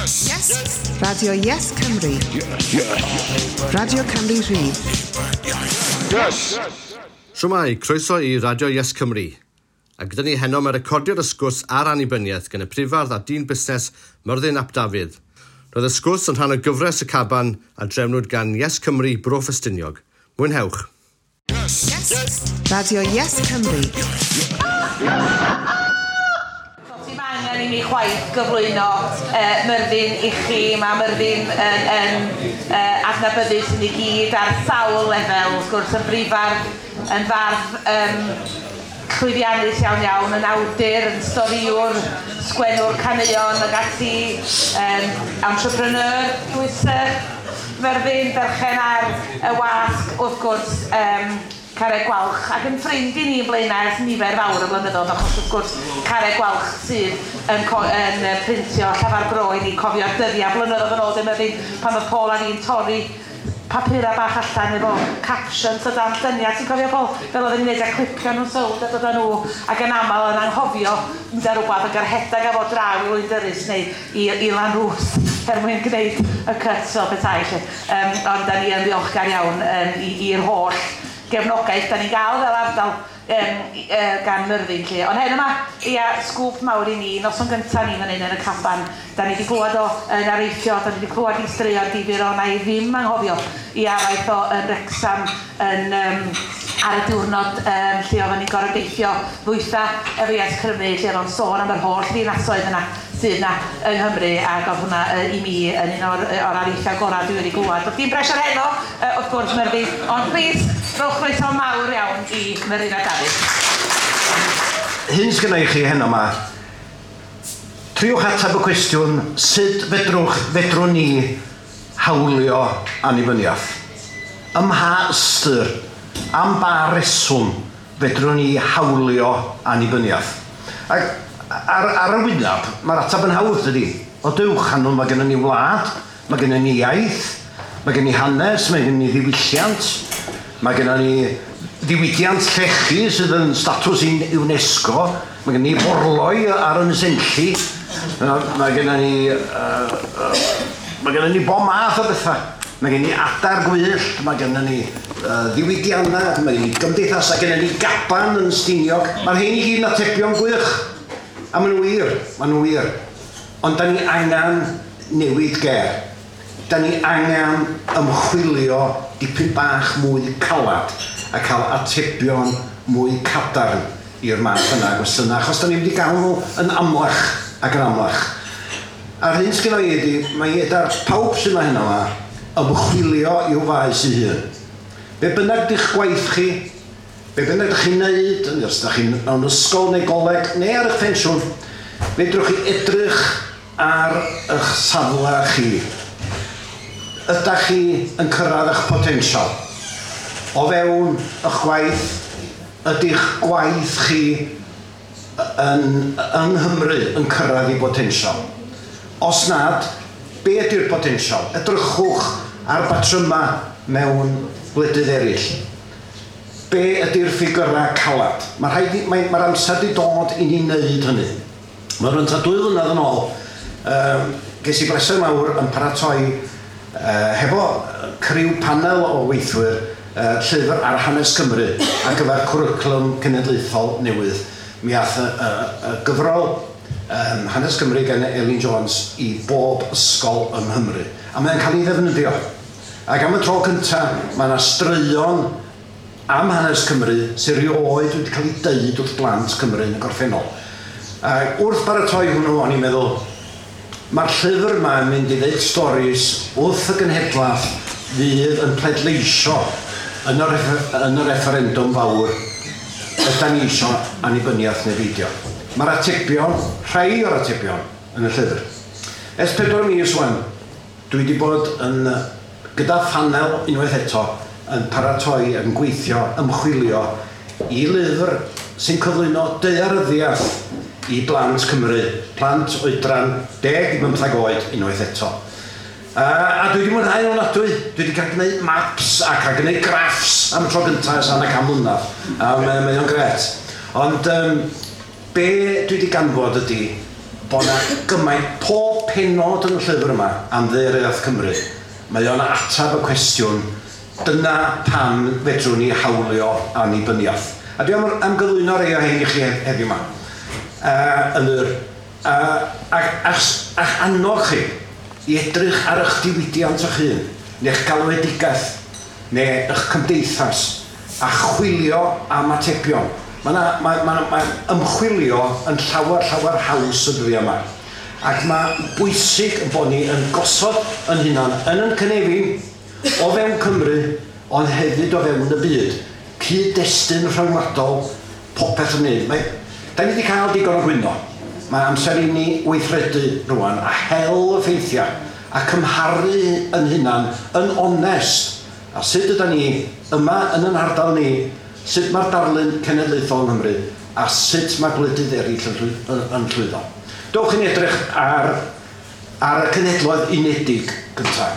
Yes. Yes. Radio Yes Cymru. Yes. Yes. Radio Cymru Rhydd. Yes. Shwmae, croeso i Radio Yes Cymru. A gyda ni heno mae recordio'r ysgwrs ar annibyniaeth gan y prifardd a dyn busnes Myrddin ap Dafydd. Roedd y sgwrs yn rhan o gyfres y caban a drefnwyd gan Yes Cymru Bro Ffestiniog. Mwynhewch. Yes. Yes. Radio Yes Cymru. Dim angen i mi chwaith gyflwyno Myrddin i chi. Mae Myrddin yn, yn adnabyddus i ni gyd ar sawl lefel, wrth gwrs, yn brifardd, yn fardd llwyddiannus iawn iawn, yn awdur, yn storïwr, sgwennwr caneuon ac ati, entrepreneur, dwys Myrddin, berchen ar y wasg, wrth gwrs, Carreg Gwalch, ac yn ffrind i ni yn Blaenau ers nifer fawr o blynyddoedd, achos wrth gwrs Carreg Gwalch sydd yn, yn printio Llafar Bro i ni cofio'r dyddiau blynyddoedd yn ôl, dim Myrddin, pan oedd Paul a ni'n torri papura bach allan efo captions o dan lluniau. Ti'n cofio, Paul? Fel oedden ni'n neud a clipio nhw'n sownd a dod â nhw, ac yn aml yn anghofio mynd ar rhywbeth ac rhedeg efo draw i Lwyn neu i Lanrwst er mwyn gwneud y cut fel petai. Ond da ni yn ddiolchgar iawn i'r holl gefnogaeth da ni'n gael fel ardal gan Myrddin lle. Ond heno yma, ia, sgwp mawr i ni, noson gyntaf ni fan hyn yn y caban. Da ni wedi clywed o yn areithio, da ni wedi clywed i straeon difyr o, na i ddim anghofio i araith o yn Wrecsam yn, ar y diwrnod lle oedden ni'n gorfod deithio ddwytha efo Yes Cymru, lle oedd o'n sôn am yr holl ddinasoedd yna sydd yna yng Nghymru, ac oedd hwnna i mi yn un o'r areithiau gorau dwi wedi glywed. Doedd dim pressure heno, wrth gwrs, Myrddin, ond plis, rhowch croeso mawr iawn i Myrddin a Dafydd. Hyn sgynna i chi heno yma. Triwch ateb y cwestiwn, sut fedrwn ni hawlio annibyniaeth? Ym mha ystyr, am ba reswm fedrwn ni hawlio annibyniaeth? Ac ar y wyneb, mae'r ateb yn hawdd, dydy. O dewch, anwn, mae gennym ni wlad, mae gennym ni iaith, mae gennym ni hanes, mae gennym ni ddiwylliant, mae gennym ni ddiwydiant llechi sydd yn statws i UNESCO, mae gennym ni forloi ar Ynys Enlli, mae gennym ni mae gennym ni bob math o bethau. Mae gennym ni adar gwyllt, mae gennym ni ddiwydiannau, mae gennym ni gymdeithas, mae gennym ni gaban yn Stiniog. Mae'r rhein i gyd yn atebion gwych. A maen nhw wir, maen nhw wir. Ond da ni angen newid ger. Da ni angen ymchwilio dipyn bach mwy calad a cael atebion mwy cadarn i'r math yna gwestiynau, achos da ni'n mynd i gael nhw yn amlach ac yn amlach. A'r hyn sgynna i ydy, mae edar pawb sydd yma heno yma ymchwilio i'w faes ei hun. Be bynnag di'ch gwaith chi, be bynnag ydych chi'n neud, os ydych chi'n mewn ysgol neu goleg, neu ar eich pensiwn, fedrwch chi edrych ar eich safle chi. Ydych chi yn cyrraedd eich potensial? O fewn eich gwaith, ydy'ch gwaith chi yng Nghymru yn cyrraedd ei potensial? Os nad, be ydy'r potensial? Edrychwch ar batryma mewn gwledydd eraill. Be ydy'r ffigurau calad? Mae'r mae amser wedi dod i ni wneud hynny. Mae'n rhan 2 flynedd yn ôl, ges i bleser mawr yn paratoi hefo criw panel o weithwyr llyfr ar hanes Cymru ar gyfer cwricwlwm cenedlaethol newydd. Mi ath y gyfrol Hanes Cymru gan Elin Jones i bob ysgol yng Nghymru. A mae'n cael ei ddefnyddio. Ac am y tro cyntaf, mae yna straeon am hanes Cymru sy'n rioed wedi cael ei deud wrth blant Cymru yn y gorffennol. Ac wrth baratoi hwnnw, o'n i'n meddwl, mae'r llyfr yma yn mynd i ddeud storis wrth y genhedlaeth fydd yn pleidleisio yn y referendwm fawr ydan ni isio annibyniaeth neu beidio. Mae'r atebion, rhai o'r atebion, yn y llyfr. Ers 4 mis wan, dwi wedi bod yn gyda phanel unwaith eto yn paratoi, yn gweithio, ymchwilio i lyfr sy'n cyflwyno daearyddiaeth i blant Cymru, plant oedran 10 i 15 oed unwaith eto. A dwi wedi mwynhau o'n ofnadwy. Dwi wedi cael gwneud maps a cael gwneud graffs am y tro gyntaf ers hanner can mlynedd. A mae o'n gret. Ond be dwi wedi ganfod ydy, bod yna gymaint, pob penod yn y llyfr yma am ddaearyddiaeth Cymru, mae o'n ateb y cwestiwn, dyna pam fedrwn ni hawlio annibyniaeth. A dwi am gyflwyno rei o hein i chi heddiw yma. Yn yr, ac annog chi i edrych ar eich diwydiant eich hun, neu'ch galwedigaeth, neu eich cymdeithas, a chwilio am atebion. Mae ymchwilio yn llawer, llawer haws y dyddiau yma. Ac mae bwysig bod ni yn gosod yn hunan yn yn cynefin o fewn Cymru, ond hefyd o fewn y byd. Cyd-destun rhyngwladol, popeth yn wneud. Da ni wedi cael digon o gwyno. Mae amser i ni weithredu rwan a hel y ffeithiau a cymharu yn hunan yn onest. A sut yda ni yma yn yn ardal ni, sut mae'r darlun cenedlaethol yng Nghymru a sut mae gwledydd eraill yn llwyddo. Dowch i ni edrych ar y Cenhedloedd Unedig gyntaf.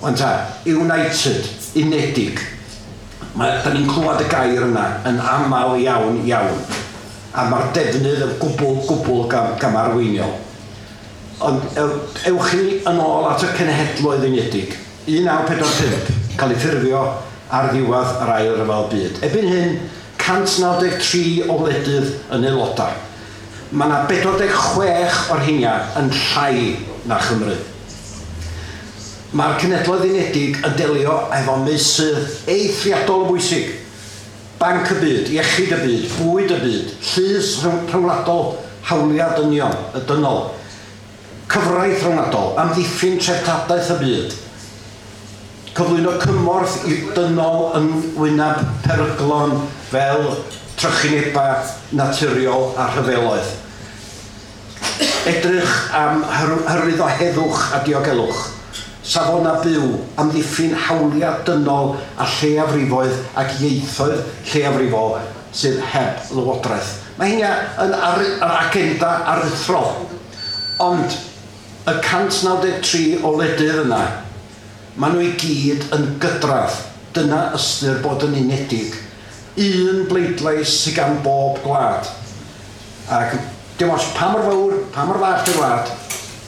Wan ta, United, Unedig. Da ni'n clywed y gair yna yn aml iawn iawn. A mae'r defnydd yn gwbl, gwbl gamarweiniol. Ond ewch chi yn ôl at y Cenhedloedd Unedig. 1945, cael ei ffurfio ar ddiwedd yr Ail Ryfel Byd. Erbyn hyn, 193 o wledydd yn aelodau. Mae yna 46 o'r rheina yn llai na Chymru. Mae'r Cenhedloedd Unedig yn delio efo meysydd eithriadol o bwysig. Banc y byd, iechyd y byd, bwyd y byd, llys rhyngwladol, hawliau dynion, y dynol, cyfraith rhyngwladol, amddiffyn treftadaeth y byd, cyflwyno cymorth i dynol yn wyneb peryglon fel trychinebau naturiol a rhyfeloedd. Edrych am hyrwyddo heddwch a diogelwch, safona byw, amddiffyn hawliau dynol a lleiafrifoedd ac ieithoedd lleiafrifol sydd heb lywodraeth. Mae hynna yn yr agenda aruthrol. Ond y 193 o wledydd yna, maen nhw i gyd yn gydradd. Dyna ystyr bod yn unedig. Un bleidlais sydd gan bob gwlad. Ac dim ots pa mor fawr, pa mor fach di'r wlad,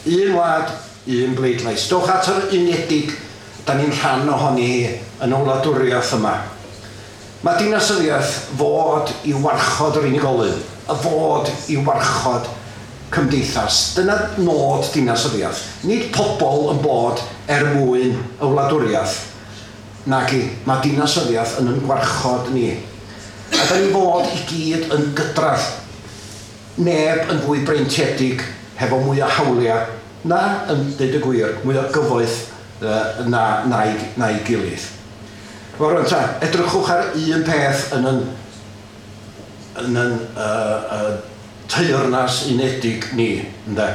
un wlad, un bleidlais. Dowch at yr unedig, da ni'n rhan ohoni hi yn y wladwriaeth yma. Mae dinasyddiaeth fod i warchod yr unigolyn, y fod i warchod cymdeithas. Dyna nod dinasyddiaeth. Nid pobl yn bod er mwyn y wladwriaeth. Nagi, mae dinasyddiaeth yn yn gwarchod ni. A da ni fod i gyd yn gydradd. Neb yn fwy breintiedig hefo mwy o hawliau na, yn dweud y gwir, mwy o gyfoeth na'i gilydd. Wel, rwan ta, edrychwch ar un peth yn yn teyrnas unedig ni, ynde.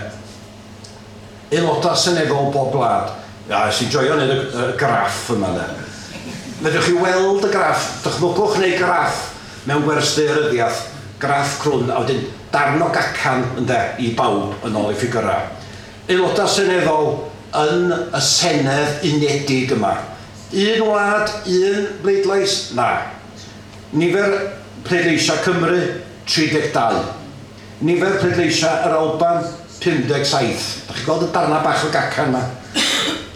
Aelodau seneddol bob gwlad. Ia, es i joio wneud y graff yma, ynde. Fedrwch chi weld y graff, dychmygwch neu graff mewn gwers daearyddiaeth, graff crwn, a wedyn darn o gacan, ynde, i bawb yn ôl i ffigurau. Aelodau seneddol yn y Senedd Unedig yma. Un wlad, un bleidlais? Na. Nifer pleidleisiau Cymru, 32. Nifer pleidleisiau yr Alban, 57. Da chi'n gweld y darnau bach o gacan yma?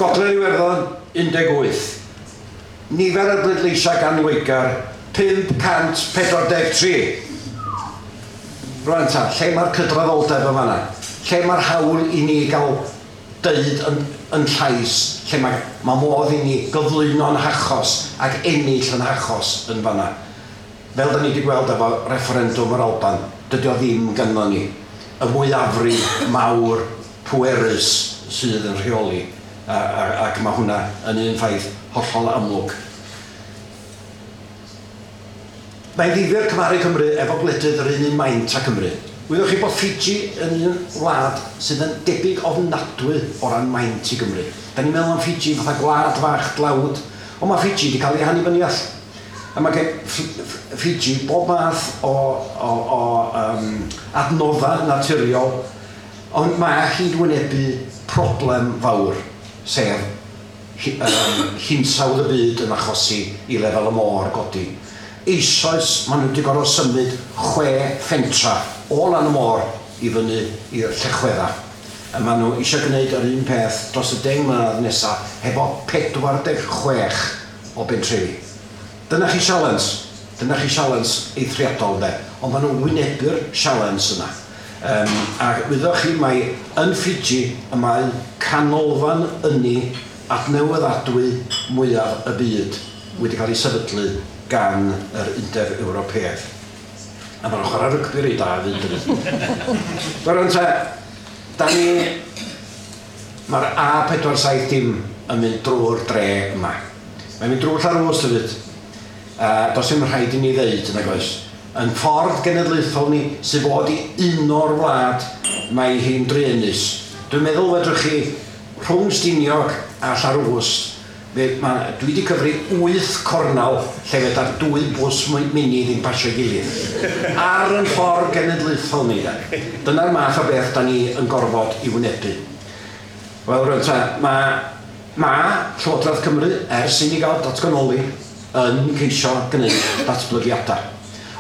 Gogledd Iwerddon, 18. Nifer y bleidleisiau gan Loegr, 543. Rwan ta, lle mae'r cydraddoldeb yma yna? Lle mae'r hawl i ni gael deud yn llais, lle mae modd i ni gyflwyno'n hachos ac ennill yn hachos yn fanna. Fel da ni wedi gweld efo referendwm yr Alban, dydy o ddim ganddo ni. Y mwyafrif mawr pwerus sydd yn rheoli, ac mae hwnna yn un ffaith hollol amlwg. Mae'n ddifyr cymharu Cymru efo gwledydd yr un maint â Cymru. Wyddoch chi bod Fiji yn un wlad sydd yn debyg ofnadwy o ran maint i Gymru. Da ni'n meddwl am Fiji fatha gwlad fach dlawd, ond mae Fiji wedi cael ei hannibyniaeth. A mae gen Fiji bob math o adnoddau naturiol, ond mae hi'n wynebu problem fawr, sef hinsawdd y byd yn achosi i lefel y môr godi. Eisoes maen nhw wedi gorfod symud 6 fentra o lan y môr i fyny i'r Llechwedda. A maen nhw eisiau gwneud yr un peth dros y 10 mlynedd nesaf hefo 46 o bentrefi. Dyna chi sialens. Dyna chi sialens eithriadol, de. Ond maen nhw'n wynebu'r sialens yna. A wyddoch chi mai yn Fiji y mae canolfan ynni adnewyddadwy mwyaf y byd wedi cael ei sefydlu gan yr Undeb Ewropeaidd. A maen nhw'n chwarae rygbi reit da hefyd, dydyn. Rwan te, da ni... Mae'r A470 yn mynd drwy'r dre yma. Mae'n mynd drwy Llanrwst hefyd. Does dim rhaid i ni ddeud, nag oes. Yn ffordd genedlaethol ni sydd fod i uno'r wlad, mae hi'n druenus. Dwi'n meddwl fedrwch chi rhwng Stiniog a Llanrwst, dwi wedi cyfri 8 cornel lle fedar 2 bws mini ddim pasio'i gilydd. Ar yn ffordd genedlaethol ni. De. Dyna'r math o beth da ni yn gorfod i wynebu. Wel, rwan te, mae Llywodraeth Cymru, ers i ni gael datganoli, yn ceisio gwneud datblygiadau.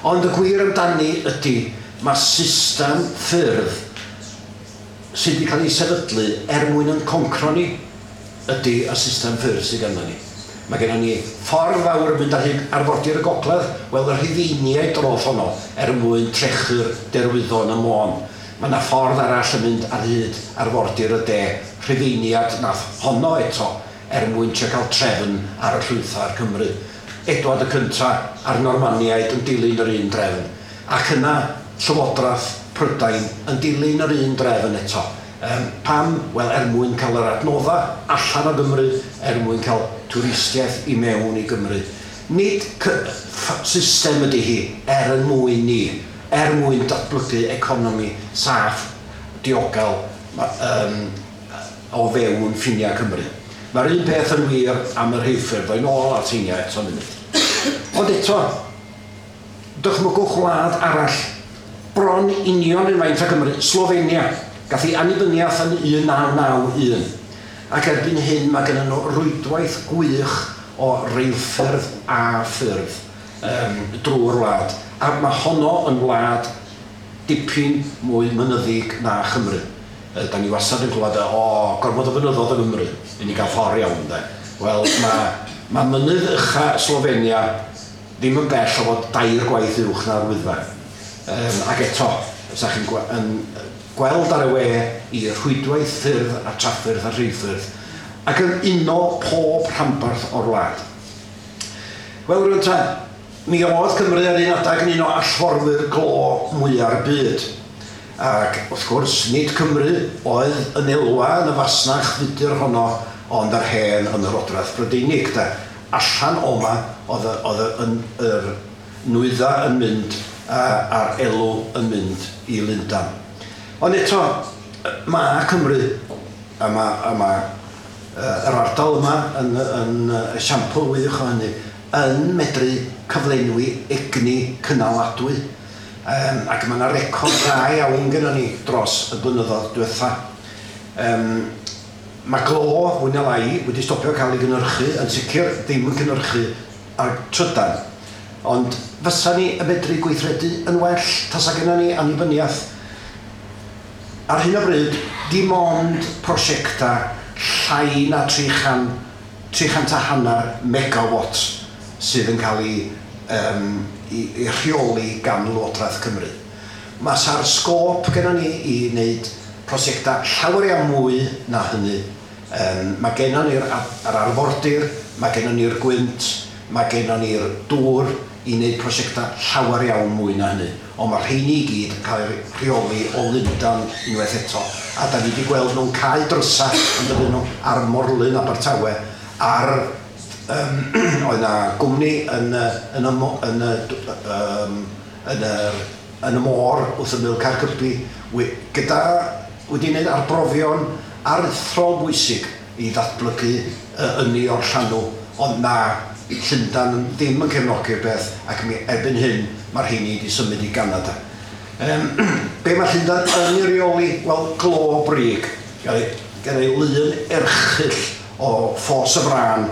Ond y gwir amdani ydy, mae system ffyrdd sydd wedi cael ei sefydlu er mwyn yn concro ni ydy y system ffyrdd sydd ganddo ni. Mae gennym ni ffordd fawr yn mynd ar hyd arfordir y gogledd, wel y Rhufeiniaid droth honno er mwyn trechu'r derwyddon y Môn. Mae yna ffordd arall yn mynd ar hyd arfordir y de, Rhufeiniad nath honno eto er mwyn trio cael trefn ar y llwythau Cymru. Edward y Cynta a'r Normaniaid yn dilyn yr un drefn. Ac yna Llywodraeth Prydain yn dilyn yr un drefn eto. Pam? Wel, er mwyn cael yr adnoddau allan o Gymru, er mwyn cael twristiaeth i mewn i Gymru. Nid system ydy hi er yn mwyn ni, er mwyn datblygu economi saff, diogel o fewn ffiniau Cymru. Mae'r un peth yn wir am y rheilffyrdd, ddoi nôl at heina eto munud. Ond eto, dychmygwch wlad arall, bron union yn faint o Gymru, Slovenia, gath ei annibyniaeth yn 1991. Ac erbyn hyn mae gennym nhw rwydwaith gwych o reilffyrdd a ffyrdd drwy'r wlad. A mae honno yn wlad dipyn mwy mynyddig na Chymru. Da ni wastad yn clywed, o, gormod o fynyddoedd yng Nghymru, i ni gael ffordd iawn, de. Wel, mae mynydd ucha Slovenia ddim yn bell o fod 2 gwaith uwch na'r Wyddfa. Ac eto, os ydych chi'n gweld ar y we i rhwydwaith ffyrdd a traffyrdd a rheilffyrdd, ac yn uno pob rhanbarth o'r wlad. Wel, rwan te, mi oedd Cymru ar un adeg yn un o allforwyr glo mwya'r byd. Ac wrth gwrs, nid Cymru oedd yn elwa yn y fasnach fudur honno, ond yr hen Ymerodraeth Brydeinig. De. Allan o'ma oedd yr nwyddau yn mynd a'r elw yn mynd i Lundain. Ond eto, mae Cymru, a mae yr ardal yma yn esiampl wych o hynny, yn medru cyflenwi egni cynaladwy. Ac mae yna record dda iawn gennym ni dros y blynyddoedd diwetha. Mae glo, fwy na lai, wedi stopio cael ei gynhyrchu, yn sicr ddim yn cynhyrchu ar trydan. Ond fysa ni yn medru gweithredu yn well tasa gennym ni annibyniaeth. Ar hyn o bryd, dim ond prosiectau llai na 350 megawatt sydd yn cael ei rheoli gan Lywodraeth Cymru. Mae sa'r sgôp gennym ni i wneud prosiectau llawer iawn mwy na hynny. Mae gennym ni'r arfordir, mae gennym ni'r gwynt, mae gennym ni'r dŵr i wneud prosiectau llawer iawn mwy na hynny. Ond mae rheini i gyd yn cael eu rheoli o Lundain unwaith eto. A da ni wedi gweld nhw'n cau drysau yn dydyn nhw ar Morlyn Abertawe, ar oedd yna gwmni yn y môr wrth ymyl Caergybi gyda wedi wneud arbrofion aruthrol bwysig i ddatblygu ynni o'r llanw, ond na, Llundain ddim yn cefnogi'r beth, ac erbyn hyn mae'r rheini wedi symud i Ganada. Be mae Llundain yn ei reoli? Wel, glo brig. Gen ei lun erchyll o Ffos y Frân,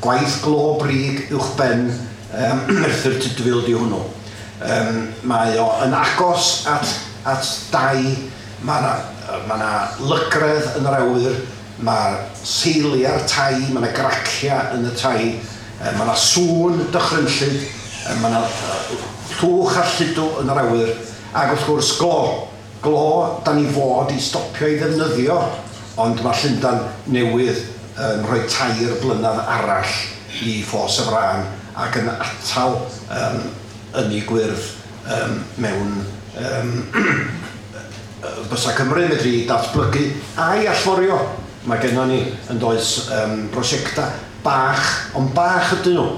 gwaith glo brig uwchben Merthyr Tudful di hwnnw. Mae o yn agos at at dai, mae yna ma na lygredd yn yr awyr, mae seiliau'r tai, mae yna graciau yn y tai, mae yna sŵn dychrynllyd, mae yna llwch a lludw yn yr awyr, ac wrth gwrs glo. Glo, da ni fod i stopio i ddefnyddio, ond mae Llundain newydd yn rhoi 3 blynedd arall i ffos y frân ac yn atal ynni gwyrdd mewn bysa Cymru medru datblygu a'i allforio. Mae gennon ni yn does prosiectau bach, ond bach ydyn nhw,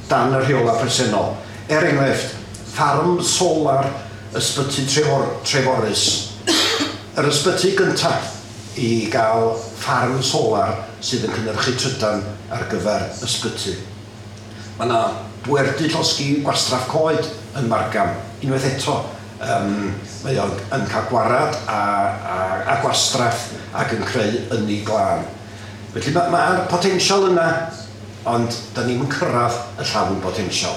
dan y rheola presennol. Er enghraifft, ffarm solar ysbyty Treforys. Yr ysbyty gyntaf i gael ffarm solar sydd yn cynhyrchu trydan ar gyfer ysbyty. Mae yna bwerdy llosgi gwastraff coed yn Margam, unwaith eto. Mae o'n yn cael gwarad a gwastraff ac yn creu ynni glân. Felly mae'r potensial yna, ond da ni'm yn cyrraedd y llawn potensial.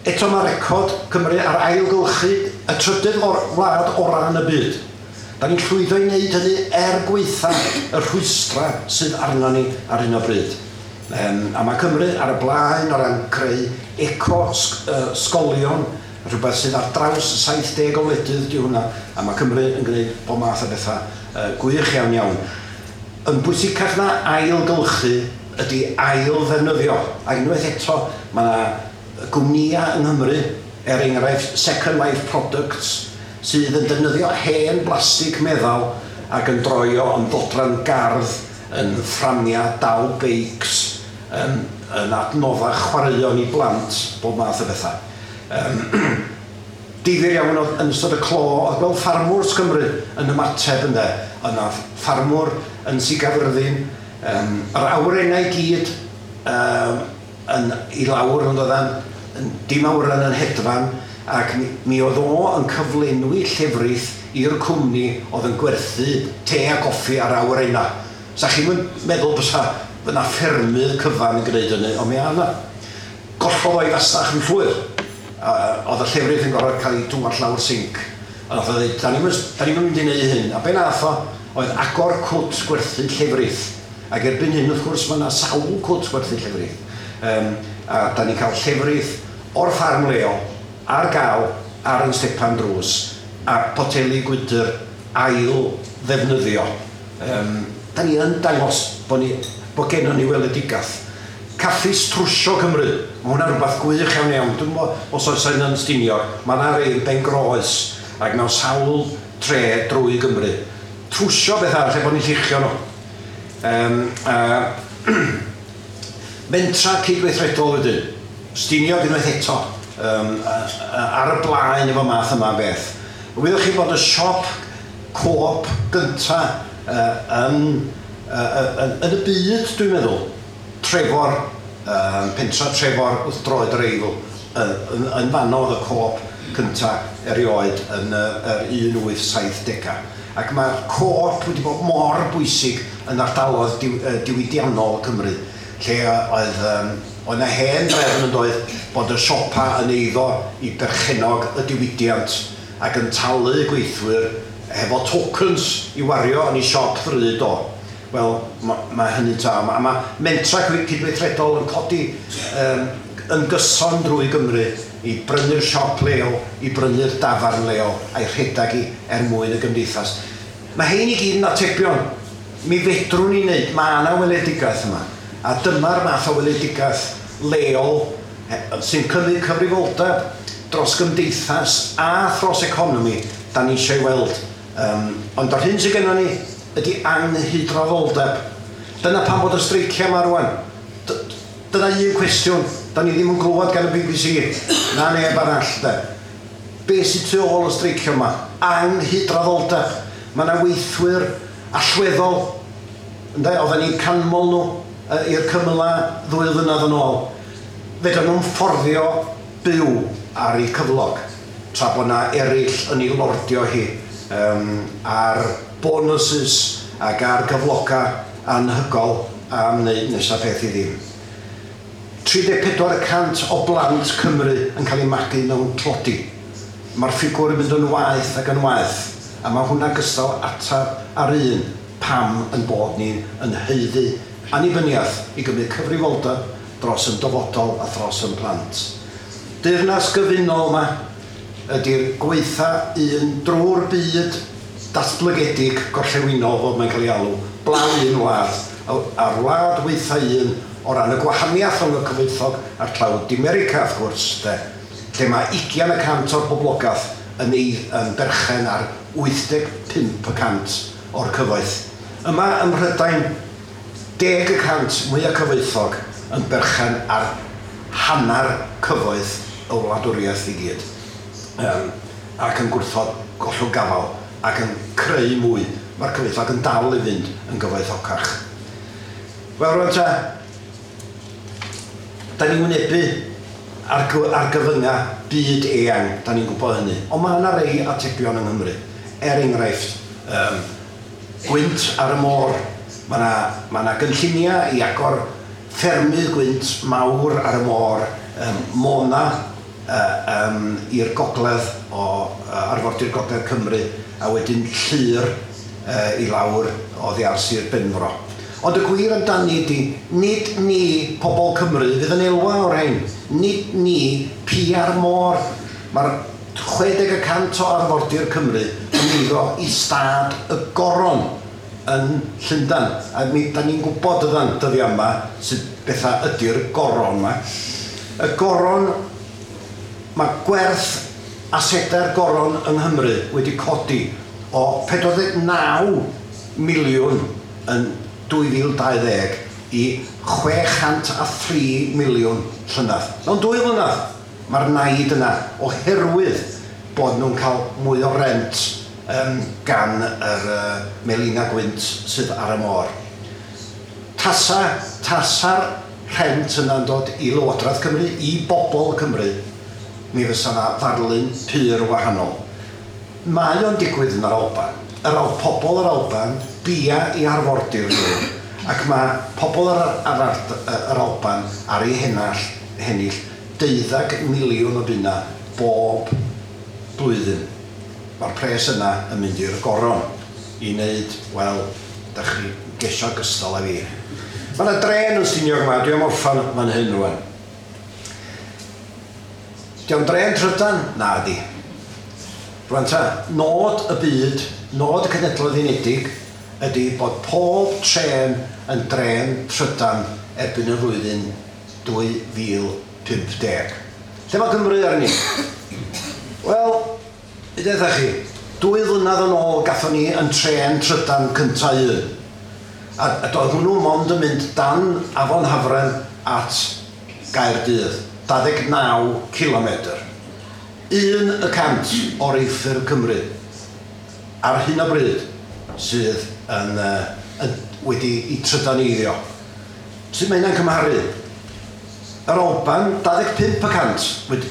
Eto mae record Cymru ar ailgylchu y trydydd wlad orau yn y byd. Da ni'n llwyddo i wneud hynny er gwaetha y rhwystra sydd arno ni ar hyn o bryd. A mae Cymru ar y blaen o ran creu eco-sgolion, rhywbeth sydd ar draws 70 o wledydd di hwnna, a mae Cymru yn gwneud bob math o bethau gwych iawn iawn. Yn bwysicach na ailgylchu ydy ail-ddefnyddio. A unwaith eto, mae yna gwmnïau yng Nghymru, er enghraifft Second Life Products, sydd yn defnyddio hen blastig meddal ac yn droio yn ddodran gardd, yn fframiau dal beics, yn adnoddau chwaraeon i blant, bob math o bethau. Difyr iawn oedd yn ystod y clo, oedd gweld ffarmwrs Cymru yn ymateb ynde. Yna ffarmwr yn Sir Gaerfyrddin, yr awyrennau gyd yn i lawr yn doeddan, dim awyren yn hedfan, ac mi oedd o yn cyflenwi llefrith i'r cwmni oedd yn gwerthu te a coffi ar awyrennau. Sa chi'm yn meddwl bysa yna ffermydd cyfan yn gwneud hynny, ond mi yna. Gollodd o'i fasnach yn llwyr. Oedd y llefrith yn gorfod cael ei dwall lawr sinc. A nath o ddeud, da ni'm yn mynd i wneud hyn. A be nath o oedd agor cwt gwerthu llefrith. Ac erbyn hyn, wrth gwrs, mae yna sawl cwt gwerthu llefrith. A da ni'n cael llefrith o'r ffarm leol ar gael ar yn stepan drws a poteli gwydr ail ddefnyddio. Da ni yn dangos bod gennon ni weledigaeth. Caffis Trwsio Cymru, mae hwnna'n rhywbeth gwych iawn iawn. Dwi'n gwybod os oes yn Stiniog, mae yna rei Ben Groes ac mewn sawl tre drwy Gymru. Trwsio bethau lle bod ni'n lluchio nhw. Mentra cydweithredol wedyn. Stiniog unwaith eto, ar y blaen efo math yma beth. Wyddoch chi bod y siop co-op gynta yn y byd, dwi'n meddwl, Trefor, pentra Trefor wrth droed yr Eifl, yn fanno oedd y co-op cynta erioed yn yr 1870au. Ac mae'r co-op wedi bod mor bwysig yn ardaloedd diwydiannol Cymru, lle oedd yna hen drefn yn doedd bod y siopa yn eiddo i berchennog y diwydiant ac yn talu gweithwyr hefo tokens i wario yn ei siop ddrud o. Wel, mae hynny ta. A mae mentra cydweithredol yn codi yn gyson drwy Gymru i brynu'r siop leol, i brynu'r dafarn leol a'i rhedeg i er mwyn y gymdeithas. Mae hein i gyd yn atebion. Mi fedrwn ni wneud, mae yna weledigaeth yma. A dyma'r math o weledigaeth leol sy'n cymryd cyfrifoldeb dros gymdeithas a thros economi da ni eisiau weld. Ond yr hyn sydd gennym ni ydy anghydraddoldeb. Dyna pam bod y streiciau yma rwan. Dyna un cwestiwn. Da ni ddim yn glywed gan y BBC. Na neb arall. De. Be sydd tu ôl y streicio yma? Anghydraddoldeb. Mae yna weithwyr allweddol. Ynde? Oedden ni'n canmol nhw i'r cymylau 2 flynedd yn ôl. Fedran nhw'n fforddio byw ar eu cyflog, tra bod yna eraill yn ei lordio hi ar bonuses ac ar gyfloga anhygol am wneud nesaf peth i ddim. 34% o blant Cymru yn cael eu magu mewn tlodi. Mae'r ffigwr yn mynd yn waeth ac yn waeth, a mae hwnna gystal atab ar un pam yn bod ni yn haeddu annibyniaeth i gymryd cyfrifoldeb dros yn dyfodol a thros yn plant. Deyrnas gyfunol yma ydy'r gweitha un drwy'r byd datblygedig gorllewinol, fel mae'n cael ei alw, blaw un wlad, a'r wlad weitha un o ran y gwahaniaeth rhwng y cyfoethog a'r tlawd, di America wrth gwrs, de, lle mae 20% o'r boblogaeth yn, ei, yn berchen ar 85% o'r cyfoeth. Yma ym Mhrydain, 10% mwyaf cyfoethog yn berchen ar hanner cyfoeth y wladwriaeth i gyd. Ac yn gwrthod gollwng gafal ac yn creu mwy. Mae'r cyfoethog yn dal i fynd yn gyfoethocach. Wel, rwan ta, da ni'n wynebu ar, ar gyfynga byd eang, da ni'n gwybod hynny. Ond mae yna rei atebion yng Nghymru. Er enghraifft, gwynt ar y môr. Mae yna ma na gynlluniau i agor ffermydd gwynt mawr ar y môr, Mona i'r gogledd o arfordir gogledd Cymru, a wedyn Llyr i lawr oddi ar Sir Benfro. Ond y gwir amdani ydy, nid ni, pobl Cymru, fydd yn elwa o'r rhain. Nid ni, pia'r môr. Mae'r 60% o arfordir Cymru yn eiddo i stad y Goron yn Llundain. A mi, da ni'n gwybod ydan dyddiau yma sut bethau ydy'r goron yma. Y goron, mae gwerth asedau'r goron yng Nghymru wedi codi o 49 miliwn yn 2020 i 603 miliwn llynedd. Mewn 2 flynedd, mae'r naid yna oherwydd bod nhw'n cael mwy o rent gan yr melina gwynt sydd ar y môr. Tasa'r rhent yna'n dod i Lywodraeth Cymru, i bobl Cymru, mi fysa yna ddarlun pur wahanol. Mae o'n digwydd yn yr Alban. Yr pobl yr Alban bia i arfordir nhw, ac mae pobl yr Alban ar ei hennill 12 miliwn o bunna bob blwyddyn. Mae'r pres yna yn mynd i'r goron i wneud, wel, da chi gesio gystal â fi. Mae yna dren yn Stiniog yma, dwi am orffan fan hyn rwan. Di o'n dren trydan? Na di. Rwan ta, nod y byd, nod y Cenhedloedd Unedig ydy bod pob trên yn dren trydan erbyn y flwyddyn 2050. Lle mae Cymru arni? Wel, i ddweud chi, 2 flynedd yn ôl gathon ni yn trên trydan cynta un. A doedd hwnnw mond yn mynd dan Afon Hafren at Gaerdydd, 29 kilometr. 1% o reilffyrdd Cymru ar hyn o bryd sydd yn wedi i trydaneiddio. Sut mae hynna'n cymharu? Yr Alban, 25%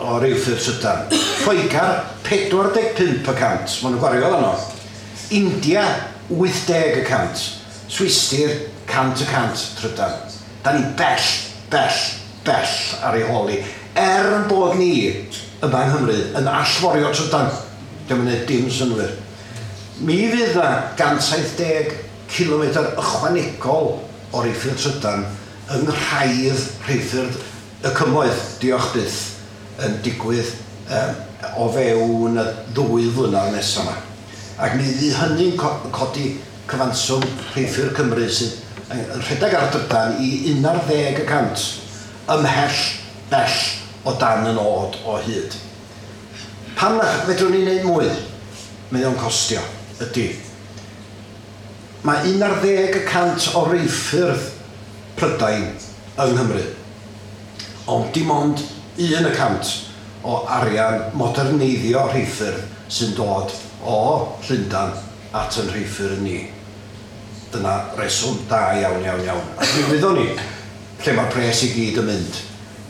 o reilffyrdd trydan. Lloegr, 45%. Maen nhw'n gwario fanno. India, 80%. Swistir, 100% trydan. Da ni bell, bell, bell ar ei hôl hi. Er yn bod ni yma yng Nghymru yn allforio trydan. Dio'm yn neud dim synnwyr. Mi fydd na 170 km ychwanegol o reilffyrdd trydan yng nghraidd rheilffyrdd y cymoedd, diolch byth, yn digwydd o fewn y 2 flynedd nesaf yma. Ac mi fydd hynny'n codi cyfanswm rheilffyrdd Cymru sydd yn rhedeg ar drydan i 11% ymhell bell o dan y nod o hyd. Pam na fedrwn ni wneud mwy? Mae o'n costio, ydy. Mae 11% o reilffyrdd Prydain yng Nghymru. Ond dim ond 1% o arian moderneiddio rheilffyrdd sy'n dod o Llundain at yn rheilffyrdd ni. Dyna reswm da iawn, iawn, iawn. Ac mi wyddwn ni lle mae'r pres i gyd yn mynd.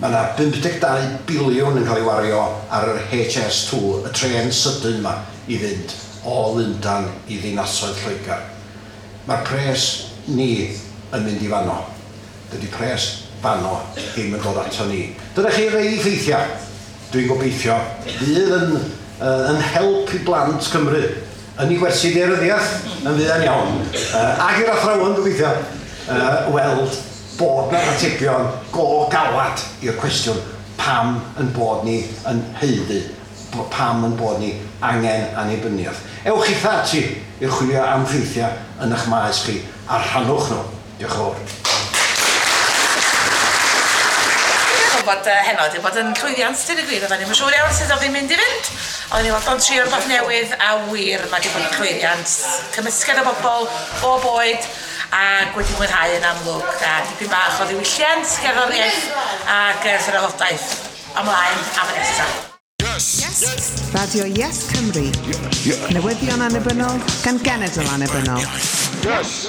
Mae yna 52 biliwn yn cael ei wario ar yr HS2, y trên sydyn yma, i fynd o Lundain i ddinasoedd Lloegr. Mae'r pres ni yn mynd i fanno. Dydy pres fanno ddim yn dod ato ni. Dyna chi rei ffeithiau. Dwi'n gobeithio fydd yn, yn help i blant Cymru yn ei gwersi daearyddiaeth yn fuan iawn. Ac i'r athrawon gobeithio weld bod 'na atebion go galad i'r cwestiwn pam yn bod ni yn haeddu, pam yn bod ni angen annibyniaeth. Ewch chitha ati i chwilio am ffeithiau yn eich maes chi a rhannwch nhw. Diolch yn fawr. Dwi'n meddwl bod heno wedi bod yn llwyddiant, deud y gwir. Oedden ni'm yn siŵr iawn sut oedd hi'n mynd i fynd. Oedden ni fodlon trio rhywbeth newydd a wir mae wedi bod yn llwyddiant. Cymysgedd o bobl, bob oed, ac wedi mwynhau yn amlwg. A dipyn bach o ddiwylliant, gerddoriaeth ac thrafodaeth ymlaen am y nesaf. Yes. Radio Yes Cymru. Newyddion annibynnol gan genedl annibynnol. Yes.